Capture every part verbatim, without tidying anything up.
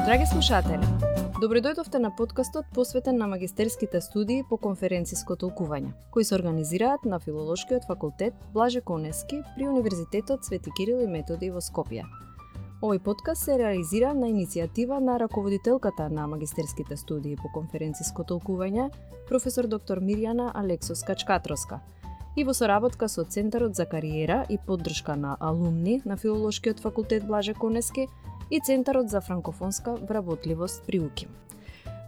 Драги слушатели, добредојдовте на подкастот посветен на магистерските студии по конференциско толкување, кои се организираат на Филолошкиот факултет Блаже Конески при Универзитетот Свети Кирил и Методи во Скопје. Овој подкаст се реализира на иницијатива на раководителката на магистерските студии по конференциско толкување, професор доктор Мирјана Алексовска-Чкатровска, и во соработка со Центарот за кариера и поддршка на алумни на Филолошкиот факултет Блаже Конески и Центарот за франкофонска вработливост при УКИМ.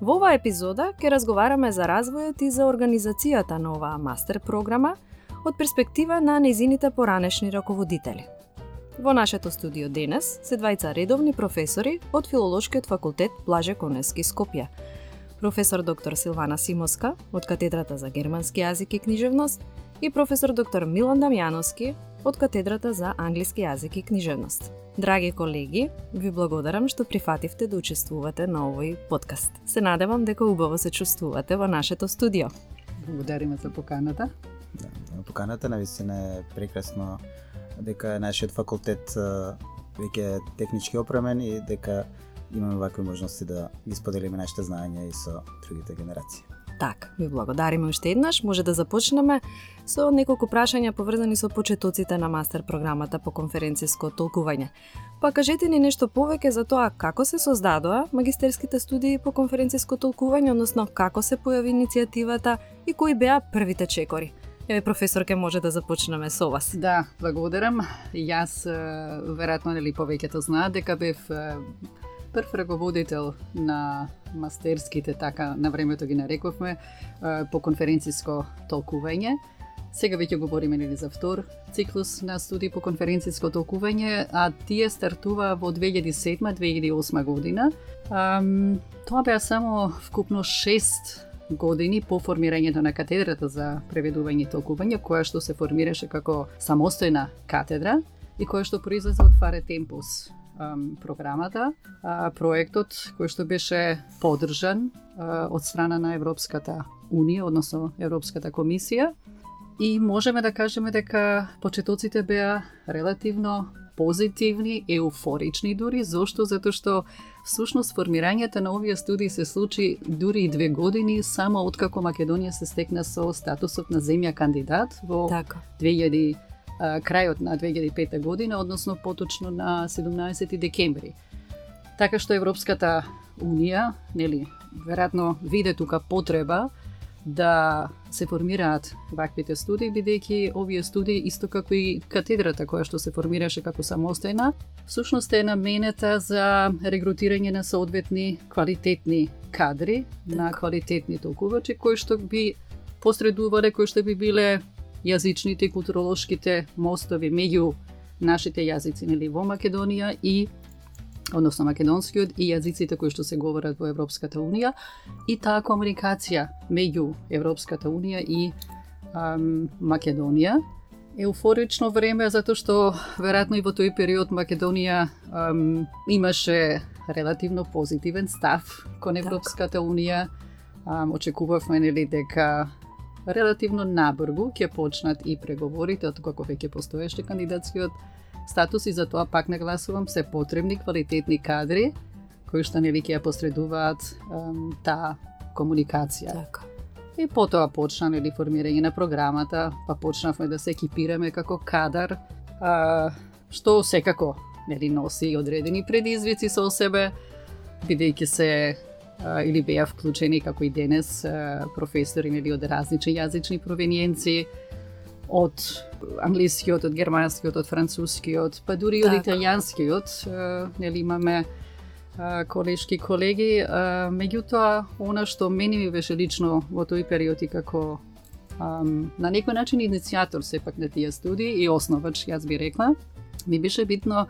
Во оваа епизода ќе разговараме за развојот и за организацијата на оваа мастер програма од перспектива на нејзините поранешни раководители. Во нашето студио денес се двајца редовни професори од Филолошкиот факултет Блаже Конески Скопје. Професор доктор Силвана Симоска од катедрата за германски јазик и книжевност и професор доктор Милан Дамјановски од катедрата за англиски јазик и книжевност. Драги колеги, ви благодарам што прифативте да учествувате на овој подкаст. Се надевам дека убаво се чувствувате во нашето студио. Благодариме за поканата. Да, поканата навистина е прекрасно дека нашиот факултет веќе е технички опремен и дека имаме вакви можности да ги споделиме нашите знаења и со другите генерации. Так, ви благодариме уште еднаш. Може да започнеме со неколку прашања поврзани со почетоците на мастер програмата по конференциско толкување. Па кажете ни нешто повеќе за тоа како се создадоа магистерските студии по конференциско толкување, односно како се појави иницијативата и кои беа првите чекори. Еве, професорке, може да започнеме со вас. Да, благодарам. Јас веројатно нели повеќето знаат дека бев прв раководител на мастерските, така на времето ги нарековме, по конференциско толкување. Сега веќе говориме нели за втор циклус на студии по конференциско толкување, а тие стартува во две илјади и седма - две илјади и осма година. Um, тоа беа само вкупно шест години по формирањето на катедрата за преведување и толкување, која што се формираше како самостојна катедра и која што произлезе од Фаре Темпус програмата, проектот кој што беше поддржан од страна на Европската Унија, односно Европската комисија, и можеме да кажеме дека почетоците беа релативно позитивни, еуфорични дури. Зошто? Затоа што всушност формирањето на овие студии се случи дури и две години само откако Македонија се стекна со статусот на земја кандидат во така. две илјади крајот на две илјади и пета година, односно поточно на седумнаесети декември. Така што Европската Унија, нели, веројатно виде тука потреба да се формираат ваквите студии, бидејќи овие студии, исто како и катедрата која што се формираше како самостојна, всушност е наменета за регрутирање на соодветни квалитетни кадри, так. на квалитетни толкувачи, кои што би посредувале, кои што би биле јазичните и културолошките мостови меѓу нашите јазици, нели, во Македонија и односно македонскиот и јазиците кои што се говорат во Европската Унија, и таа комуникација меѓу Европската Унија и ам, Македонија. Еуфорично време затоа што веројатно и во тој период Македонија ам, имаше релативно позитивен став кон Европската Унија. Ам, очекувавме нели дека релативно набрзо ќе почнат и преговорите, откако веќе постоеше кандидатскиот статус, и за тоа пак нагласувам се потребни квалитетни кадри кои што нели ќе ја посредуваат ем, таа комуникација. Така. И потоа почна нели формирање на програмата, па почнавме да се екипираме како кадар, а, што секако нели носи одредени предизвици со себе, бидејќи се а, или беа вклучени како и денес а, професори нели од различни јазични провениенци, од англискиот, од германскиот, од францускиот, па дури од италијанскиот, нели имаме а, колешки колеги. А, меѓутоа, она што мене ми беше лично во тој период и како ам, на некој начин иницијатор сепак на тие студии и основач, јас би рекла, ми беше битно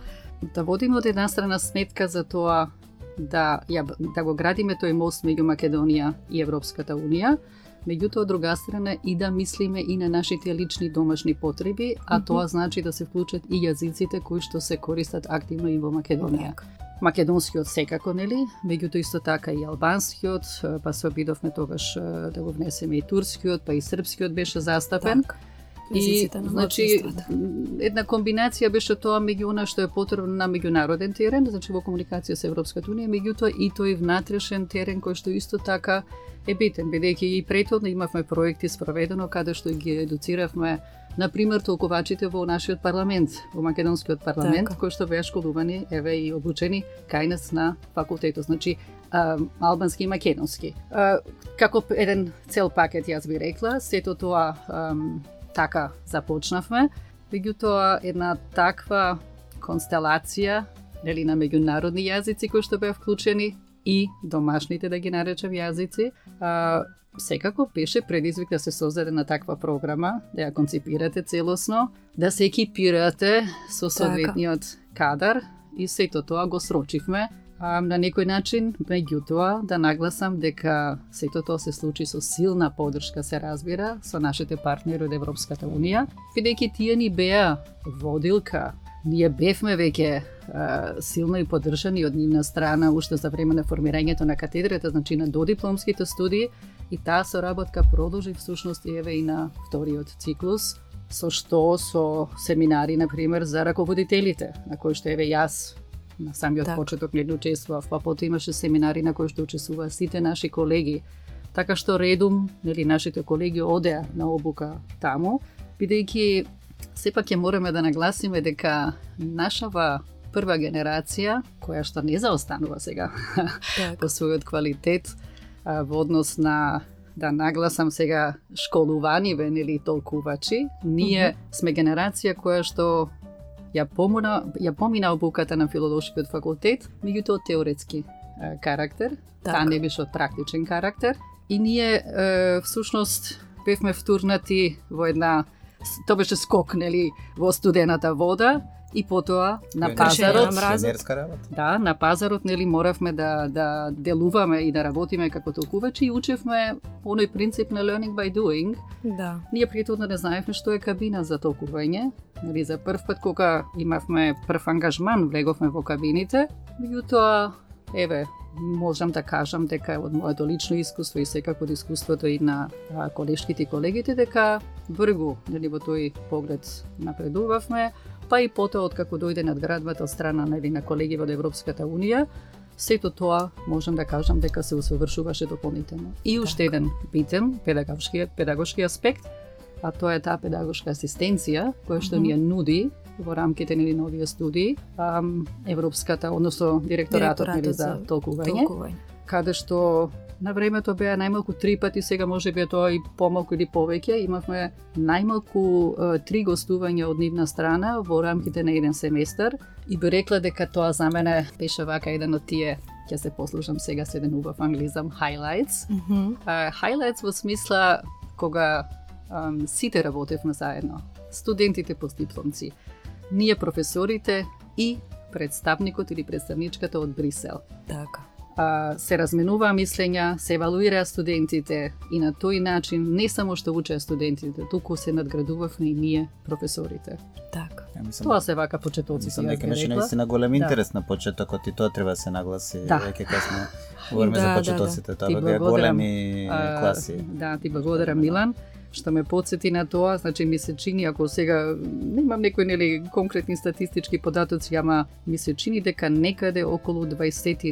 да водиме од една страна сметка за тоа да, ја, да го градиме тој мост меѓу Македонија и Европската Унија, меѓутоа од друга страна и да мислиме и на нашите лични домашни потреби, а mm-hmm. тоа значи да се вклучат и јазиците кои што се користат активно и во Македонија. Так. Македонскиот секако, нели, меѓутоа исто така и албанскиот, па се обидовме тогаш да го внесеме и турскиот, па и српскиот беше застапен. Так. езиците на значи, малцинствата. една комбинација беше тоа меѓу она што е потребно на меѓународен терен, значи во комуникација со Европската унија, меѓутоа и тој внатрешен терен кој што исто така е битен, бидејќи и претходно имавме проекти спроведено каде што ги едуциравме, например, толкувачите во нашиот парламент, во македонскиот парламент, така, кои што беа школувани, еве и обучени кај нас на факултетот, значи а, албански и македонски. А, како еден цел пакет, јас би рекла, сето тоа ам, така започнавме, меѓутоа една таква констелација, нели, на меѓународни јазици кои што беа вклучени и домашните, да ги наречам, јазици, а, секако беше предизвик да се создаде на таква програма, да ја конципирате целосно, да се екипирате со соодветниот кадар и сето тоа го срочивме. А, на некој начин, меѓутоа, да нагласам дека сето тоа се случи со силна поддршка, се разбира, со нашите партнери од Европската унија, бидејќи тие ни беа водилка. Ние бевме веќе а, силно и поддржани од нивна страна уште за време на формирањето на катедрата, значи на додипломските студии, и таа соработка продолжи всушност и еве и на вториот циклус, со што со семинари, например, за раководителите, на кои што еве јас на самиот так. почеток не учествував, па потоа имаше семинари на кои што учествуваа сите наши колеги, така што редум, нели, нашите колеги одеа на обука таму, бидејќи сепак ќе мораме да нагласиме дека нашава прва генерација, која што не заостанува сега так. по својот квалитет а, во однос на, да нагласам сега, школуваниве, нели, толкувачи, ние mm -hmm. сме генерација која што ја помина, ја помина обуката на филолошкиот факултет, меѓутоа теоретски а, карактер, так. таа не беше од практичен карактер, и ние е, всушност бевме втурнати во една, тоа беше скок, нели, во студената вода, и потоа на пазарот, да, на пазарот, нели, моравме да да делуваме и да работиме како толкувачи и учевме оној принцип на learning by doing. Да. Ние претходно не знаевме што е кабина за толкување. Нели, за прв пат кога имавме прв ангажман, влеговме во кабините, меѓутоа, еве, можам да кажам дека од моето лично искуство и секако од искуството и на а, колешките и колегите, дека бргу, нели, во тој поглед напредувавме, па и потоа откако дојде надградбата од страна, нели, на колеги од Европската унија, сето тоа можам да кажам дека се усовршуваше дополнително. И уште еден битен педагошки педагошки аспект, а тоа е таа педагошка асистенција која што ни ја нуди во рамките на новија студии ам, Европската, односно директоратот, нели, за толкување, толкување, каде што на времето беа најмалку три пати, сега може би тоа и помалку или повеќе, имавме најмалку е, три гостувања од нивна страна во рамките на еден семестар, и би рекла дека тоа за мене беше вака еден од тие, ќе се послужам сега со еден убав англизам, highlights. Mm -hmm. uh, highlights во смисла кога um, сите работевме заедно, студентите постдипломци, ние професорите и представникот или представничката од Брисел. Така. Uh, се разменуваа мислења, се евалуираа студентите и на тој начин не само што учеа студентите, туку се надградувавме и ние професорите. Така. Ja, mislim, Тоа се вака почетоци. Мислам дека имаше наистина голем интерес да. на почетокот и тоа треба да се нагласи, да. веќе кога сме говориме да, за почетоците, да, да. тоа беа големи а, класи. Да, ти благодарам, Милан, што ме потсети на тоа, значи ми се чини, ако сега немам некои, нели, конкретни статистички податоци, ама ми се чини дека некаде околу дваесет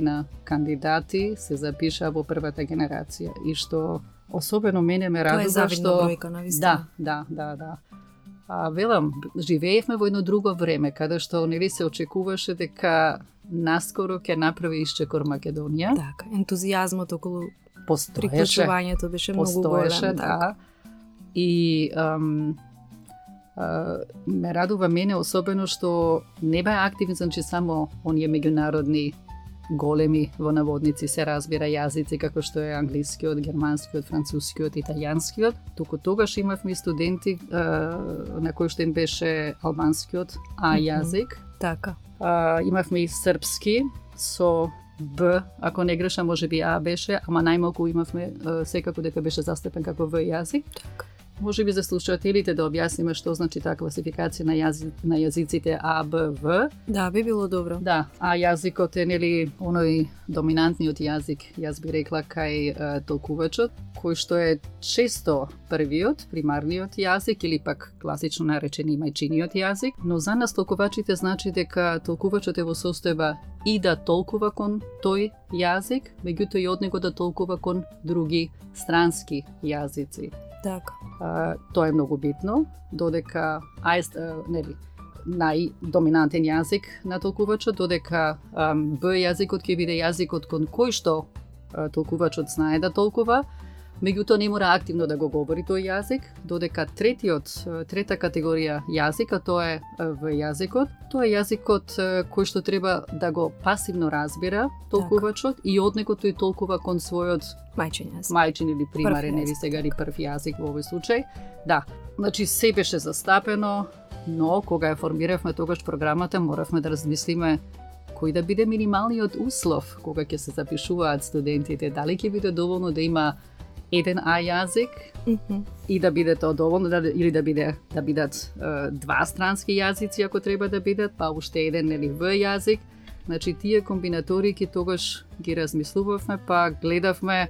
кандидати се запишаа во првата генерација, и што особено мене ме радува што... Тоа е завидна бројка, навистина. Да, да, да, да. А, велам, живеевме во едно друго време, каде што, нели, се очекуваше дека наскоро ќе направи исчекор Македонија. Така, ентузијазмот околу постоеше, приклучувањето беше многу постоеше, голем. Да. Така. И ам, а, ме радува мене особено што не беа активни, значи само оние меѓународни големи во наводници, се разбира, јазици како што е англискиот, германскиот, францускиот, италијанскиот, туку тогаш имавме и студенти а, на кои што им беше албанскиот А јазик. Mm-hmm. Така. А, имавме и српски со Б, ако не грешам, може би А беше, ама најмалку имавме а, секако дека беше застапен како В јазик. Така. може би за слушателите да објасниме што значи таа класификација на, јази, на јазиците А, Б, В. Да, би било добро. Да, а јазикот е нели оној доминантниот јазик, јас би рекла кај е, толкувачот, кој што е често првиот, примарниот јазик или пак класично наречени мајчиниот јазик, но за нас толкувачите значи дека толкувачот е во состојба и да толкува кон тој јазик, меѓутоа и од него да толкува кон други странски јазици. Така. А, тоа е многу битно, додека ајст, нели, најдоминантен јазик на толкувачот, додека а, Б јазикот ќе биде јазикот кон кој што а, толкувачот знае да толкува, меѓутоа не мора активно да го говори тој јазик, додека третиот, трета категорија јазика, тоа е В јазикот, тоа е јазикот кој што треба да го пасивно разбира толкувачот и од него тој толкува кон својот Мајчин јазик. Мајчин или примарен или сега или прв јазик во овој случај. Да, значи се беше застапено, но кога ја формиравме тогаш програмата, моравме да размислиме кој да биде минималниот услов кога ќе се запишуваат студентите, дали ќе биде доволно да има еден А јазик Mm-hmm. и да биде тоа доволно да, или да биде да бидат е, два странски јазици ако треба да бидат, па уште еден или В јазик. Значи тие комбинаторики тогаш ги размислувавме, па гледавме е,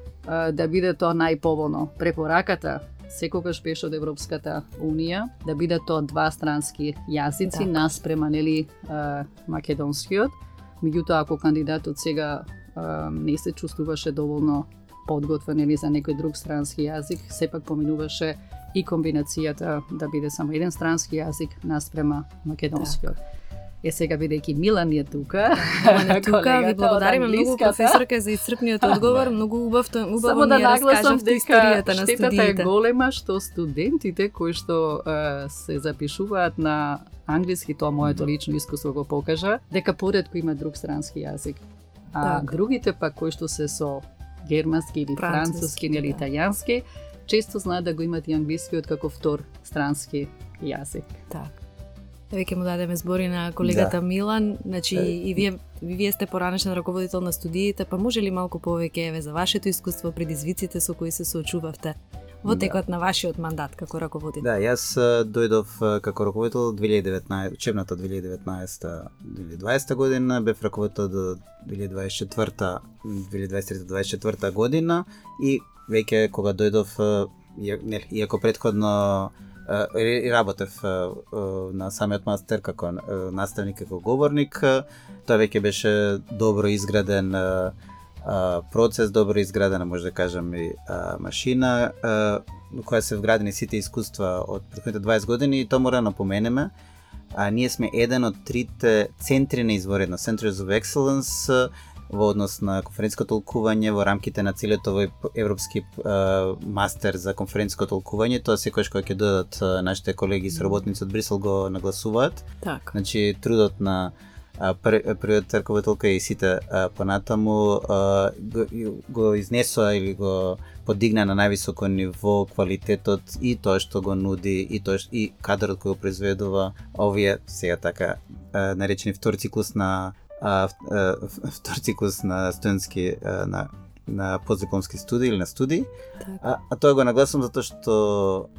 да биде тоа најповолно. Препораката секогаш беше од Европската Унија да бидат тоа два странски јазици така. наспрема нели е, македонскиот. Меѓутоа ако кандидатот сега е, не се чувствуваше доволно подготвен или за некој друг странски јазик, сепак поминуваше и комбинацијата да биде само еден странски јазик наспрема македонскиот. Е сега бидејќи Милан е тука. Милан е тука, ви благодариме многу професорка за исцрпниот одговор, многу убав тоа, убаво само да ни ја раскажавте историјата на студиите. Штетата е студиите. голема што студентите кои што е, се запишуваат на англиски, тоа моето лично искуство го покажа, дека поретко има друг странски јазик. А Так. другите пак кои што се со германски или Француски, француски или да. италијански, често знаат да го имат и англискиот како втор странски јазик. Така. Веќе му дадеме збори на колегата Да. Милан, значи и вие и вие сте поранешен раководител на студиите, па може ли малку повеќе еве за вашето искуство, предизвиците со кои се соочувавте во Да. текот на вашиот мандат како раководител? Да, јас а, дојдов а, како раководител две илјади и деветнаесета, учебната две илјади и деветнаесета две илјади и дваесета година, бев раководител до две илјади и дваесет и четврта две илјади и дваесет и трета дваесет и четврта година и веќе кога дојдов, а, ја- нели, иако претходно а, и работев а, а, на самиот мастер како а, наставник, како говорник, а, тоа веќе беше добро изграден а, а, процес, добро изградена, може да кажам, и а, машина, а, во која се вградени сите искуства од претходните дваесет години и тоа мора да напоменеме. А ние сме еден од трите центри на изворедност, Centers of Excellence, а, во однос на конференциско толкување во рамките на целиот овој европски а, мастер за конференциско толкување. Тоа секогаш кога ќе додат а, нашите колеги и соработници од Брисел го нагласуваат. Така. Значи трудот на а, пр, првиот раководителка и сите а, понатаму а, го, го изнесоа или го подигна на највисоко ниво квалитетот и тоа што го нуди и тоа што, и кадрот кој го произведува овие сега така а, наречени втор циклус на а, а, втор циклус на студентски а, на на постдипломски студии или на студии. Така. А, а тоа го нагласам затоа што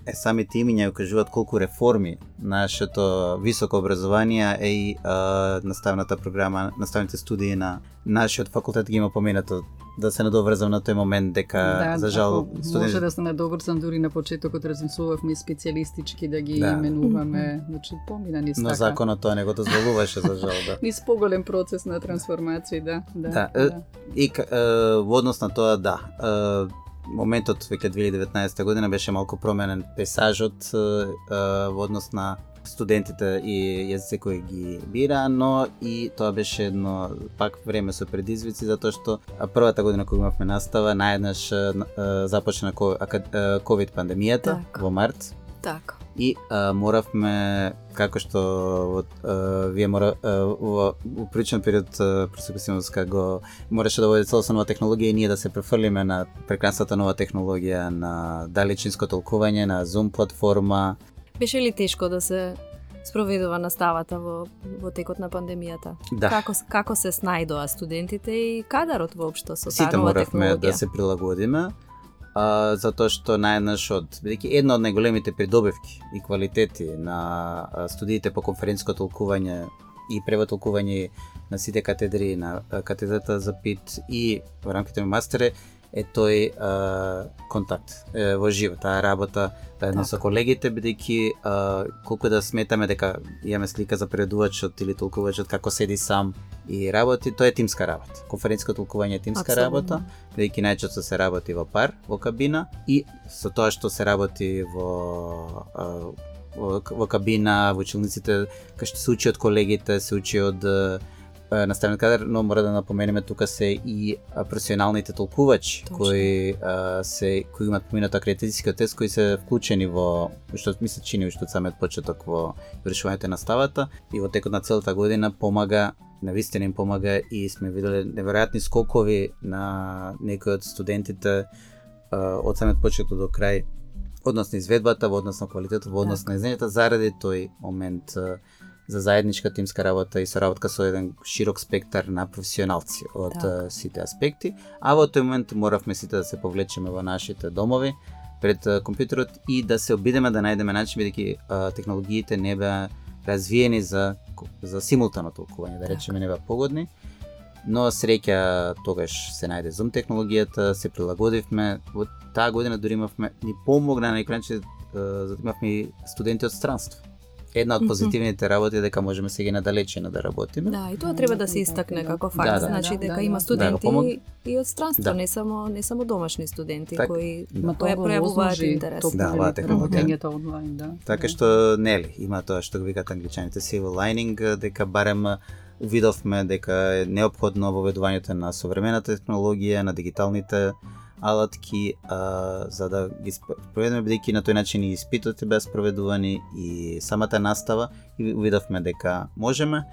е самите имиња го кажуваат колку реформи нашето високо образование е и а, наставната програма, наставните студии на нашиот факултет ги има поменато. Да се надоврзам на тој момент дека за жал може да се надоврзам дури на почетокот размислувавме и специјалистички да ги Да. именуваме, значи помина низ но така. законот тоа не го дозволуваше за жал, да. Низ поголем процес на трансформација, да, да. Да, е, и к- е, во однос на тоа, да, е, моментот веќе две илјади и деветнаесета година беше малку променен пейсажот е, е, во однос на студентите и јазици кои ги бира, но и тоа беше едно пак време со предизвици, затоа што а, првата година кога имавме настава, наеднаш е, е, започна ко- ака- е, ковид пандемијата Така. во март. Така. И а, моравме, како што вот, а, вие мора, а, во, во приличен период просеписимоска го мораше да води целосно нова технологија и ние да се префрлиме на прекрасната нова технологија на далечинско толкување, на Zoom платформа. Беше ли тешко да се спроведува наставата во во текот на пандемијата? Да. Како како се снајдоа студентите и кадарот воопшто со таа Сите нова моравме технологија? да се прилагодиме. а, затоа што наеднаш од бидејќи една од најголемите придобивки и квалитети на а, студиите по конференциско толкување и превод толкување на сите катедри, на а, катедрата за ПИТ и во рамките на мастере е тој а, контакт е, во живо, таа работа заедно со колегите, бидејќи а, колку да сметаме дека имаме слика за преведувачот или толкувачот како седи сам и работи, тоа е тимска работа. Конференциско толкување е тимска Абсолютно. работа, бидејќи најчесто се работи во пар, во кабина и со тоа што се работи во а, во, во кабина, во училниците, кај што се учи од колегите, се учи од наставен кадар, но мора да напоменеме тука се и а, професионалните толкувачи Точно. кои а, се кои имаат поминат акредитацијски тест, кои се вклучени во што ми се чини уште од самиот почеток во вршувањето на ставата и во текот на целата година помага, навистина им помага и сме виделе неверојатни скокови на некои од студентите а, од самиот почеток до крај, односно изведбата, во однос на квалитетот, во однос на знањето, заради тој момент а, за заедничка тимска работа и соработка со еден широк спектар на професионалци од Так. сите аспекти, а во тој момент моравме сите да се повлечеме во нашите домови пред компјутерот и да се обидеме да најдеме начин, бидејќи а, технологиите не беа развиени за за симултано толкување, да речеме, не беа погодни. Но среќа тогаш се најде Zoom технологијата, се прилагодивме. Во таа година дури имавме, ни помогна на некој начин, за да имавме и студенти од странство. Една од позитивните работи е дека можеме сега и надалечено да работиме. Да, и тоа треба да се истакне како факт, Да, да. значи Да, дека да, има да. студенти Да, помог- и од странство, Да. не само не само домашни студенти Так, кои да. Ма кои тоа го пројавуваат возможи интерес. токму Да, оваа технологија. работењето онлайн, да. Така што нели, има тоа што го викаат англичаните silver lining, дека барем увидовме дека е неопходно воведувањето на современата технологија, на дигиталните алатки, а, за да ги спроведеме, бидејќи на тој начин и испитите беа спроведувани и самата настава и увидовме дека можеме.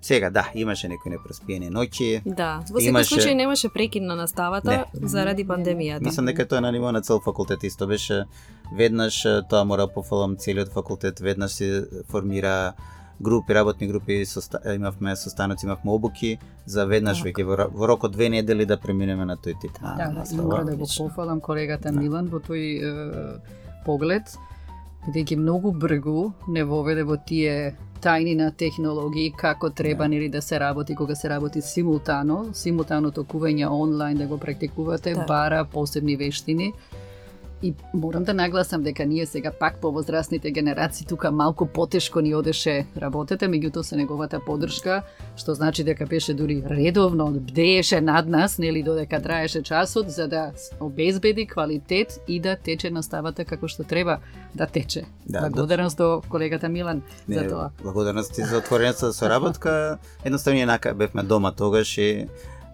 Сега, да, имаше некои непроспиени ноќи. Да, во секој Имаше- случај немаше прекин на наставата Не. заради пандемијата. Мислам дека тоа на ниво на цел факултет исто беше. Веднаш тоа мора пофалам целиот факултет, веднаш се формира групи, работни групи, соста... имавме состаноци, имавме обуки за веднаш Така. веќе во, ро- во рок од две недели да преминеме на тој тип на Да, да, и настава. мора да го Одлично. пофалам колегата Да. Милан во тој е, поглед, бидејќи многу бргу не воведе во тие тајни на технологии како треба Да. нели да се работи кога се работи симултано, симултано токување онлайн да го практикувате, Да. бара посебни вештини. И морам да нагласам дека ние сега пак по возрастните генерации тука малку потешко ни одеше работата, меѓутоа со неговата поддршка, што значи дека беше дури редовно, бдееше над нас, нели додека траеше часот, за да обезбеди квалитет и да тече наставата како што треба да тече. Да, Благодарност до колегата Милан за Не, тоа. благодарности за отворената соработка. Едноставно ние нака бевме дома тогаш и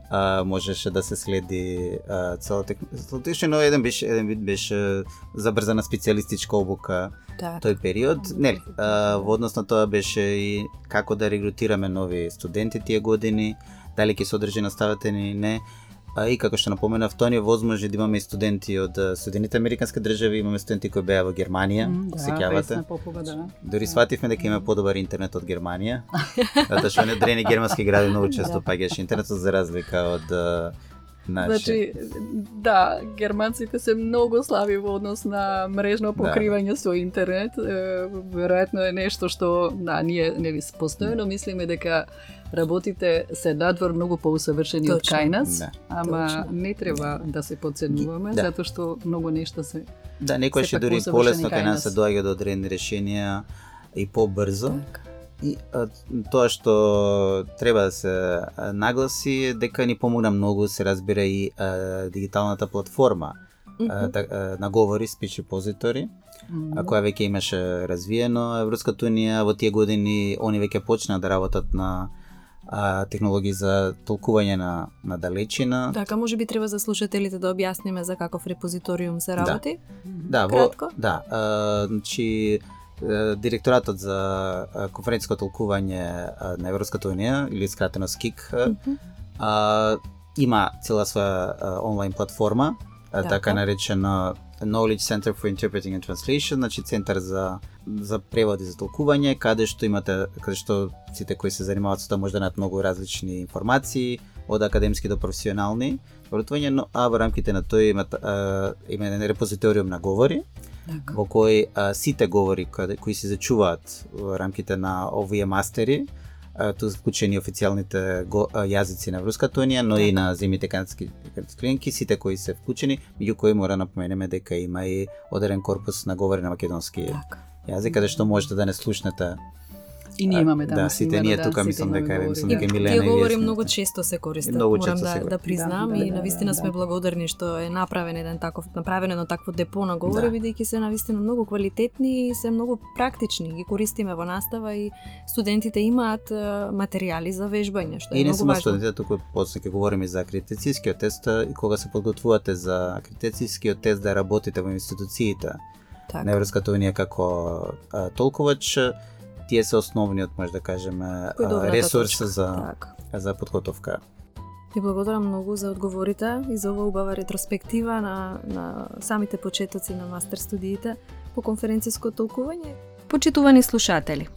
а, можеше да се следи а, целата технологија, но еден беше еден вид беше забрзана специјалистичка обука Така. тој период. Нели, а, во однос на тоа беше и како да регрутираме нови студенти тие години, дали ќе се одржи наставата или не. А и како што напоменав, тоа ни возможи да имаме и студенти од а, Соединените американски држави, имаме студенти кои беа во Германија, М, се Да, сеќавате. Весна Попова, да. Дори свативме дека има подобар интернет од Германија, затоа што не дрени германски гради многу често паѓаше интернетот за разлика од а, наше. Значи, да, германците се многу слаби во однос на мрежно покривање со интернет. Е, веројатно е нешто што, да, ние не ви постојано мислиме дека работите се надвор многу поусавршени од Точно. кај нас, Да. ама Точно. не треба да се подценуваме, Да. затоа што многу нешта се... Да, некој сепак ќе дури усавршени полесно кај кај нас се нас. доаѓа до одредени решенија и побрзо. Така. И а, тоа што треба да се а, нагласи е дека ни помогна многу, се разбира и а, дигиталната платформа а, Мгм. да, а, на говори Speech Repository, а, која веќе имаше развиено. Европската унија во тие години они веќе почна да работат на а, технологии за толкување на, на далечина. Така, може би треба за слушателите да објасниме за каков репозиториум се Да. работи. Да, во, Кратко? да, а, значи е, директоратот за а, конференциско толкување а, на Европската унија или скратено СКИК а, Мгм. а, има цела своја а, онлайн платформа, а, Така. така наречена Knowledge Center for Interpreting and Translation, значи центар за за превод и за толкување, каде што имате, каде што сите кои се занимаваат со тоа може да најдат многу различни информации, од академски до професионални образување, но а во рамките на тоа имат а, има еден репозиториум на говори, така, во кој а, сите говори каде, кои се зачуваат во рамките на овие мастери, ту вклучени официјалните го, а, јазици на Европската унија, но така, и на земјите канадски клиенки, сите кои се вклучени, меѓу кои мора напоменеме дека има и одреден корпус на говори на македонски така. јазик, каде што можете да не слушнете. И ние имаме да, да, сите ние тука мислам дека е мислам дека И Милена тие и говори вие многу сте. често се користат. Многу Морам често се да, користат. да признам Да, и да, навистина да, сме да. благодарни што е направен еден таков направено едно такво депо на говори, Да. бидејќи се навистина многу квалитетни и се многу практични, ги користиме во настава и студентите имаат е, материјали за вежбање, што е И не многу само важно. студентите, туку после ќе говориме за акредитацијскиот тест и кога се подготвувате за акредитацијскиот тест да работите во институциите Така. на Европската унија како а, толкувач, тие се основниот, може да кажеме, Кој е а, добрата ресурс точка. за Така. за подготовка. Ви благодарам многу за одговорите и за оваа убава ретроспектива на, на самите почетоци на мастер студиите по конференциско толкување. Почитувани слушатели,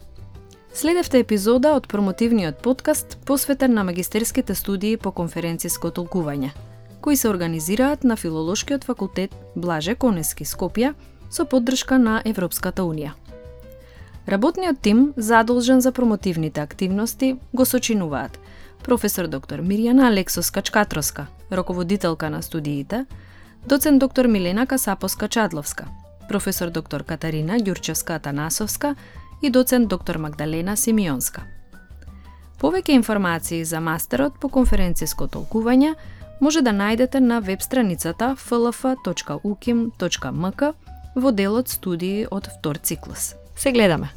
следевте епизода од промотивниот подкаст посветен на магистерските студии по конференциско толкување, кои се организираат на Филолошкиот факултет Блаже Конески, Скопје, со поддршка на Европската унија. Работниот тим задолжен за промотивните активности го сочинуваат професор доктор Мирјана Алексовска-Чкатроска, раководителка на студиите, доцент доктор Милена Касапоска-Чадловска, професор доктор Катарина Ѓурчевска-Атанасовска и доцент доктор Магдалена Симеонска. Повеќе информации за мастерот по конференциско толкување може да најдете на веб страницата еф ел еф точка у ким точка ем ка во делот студии од втор циклус. Се гледаме!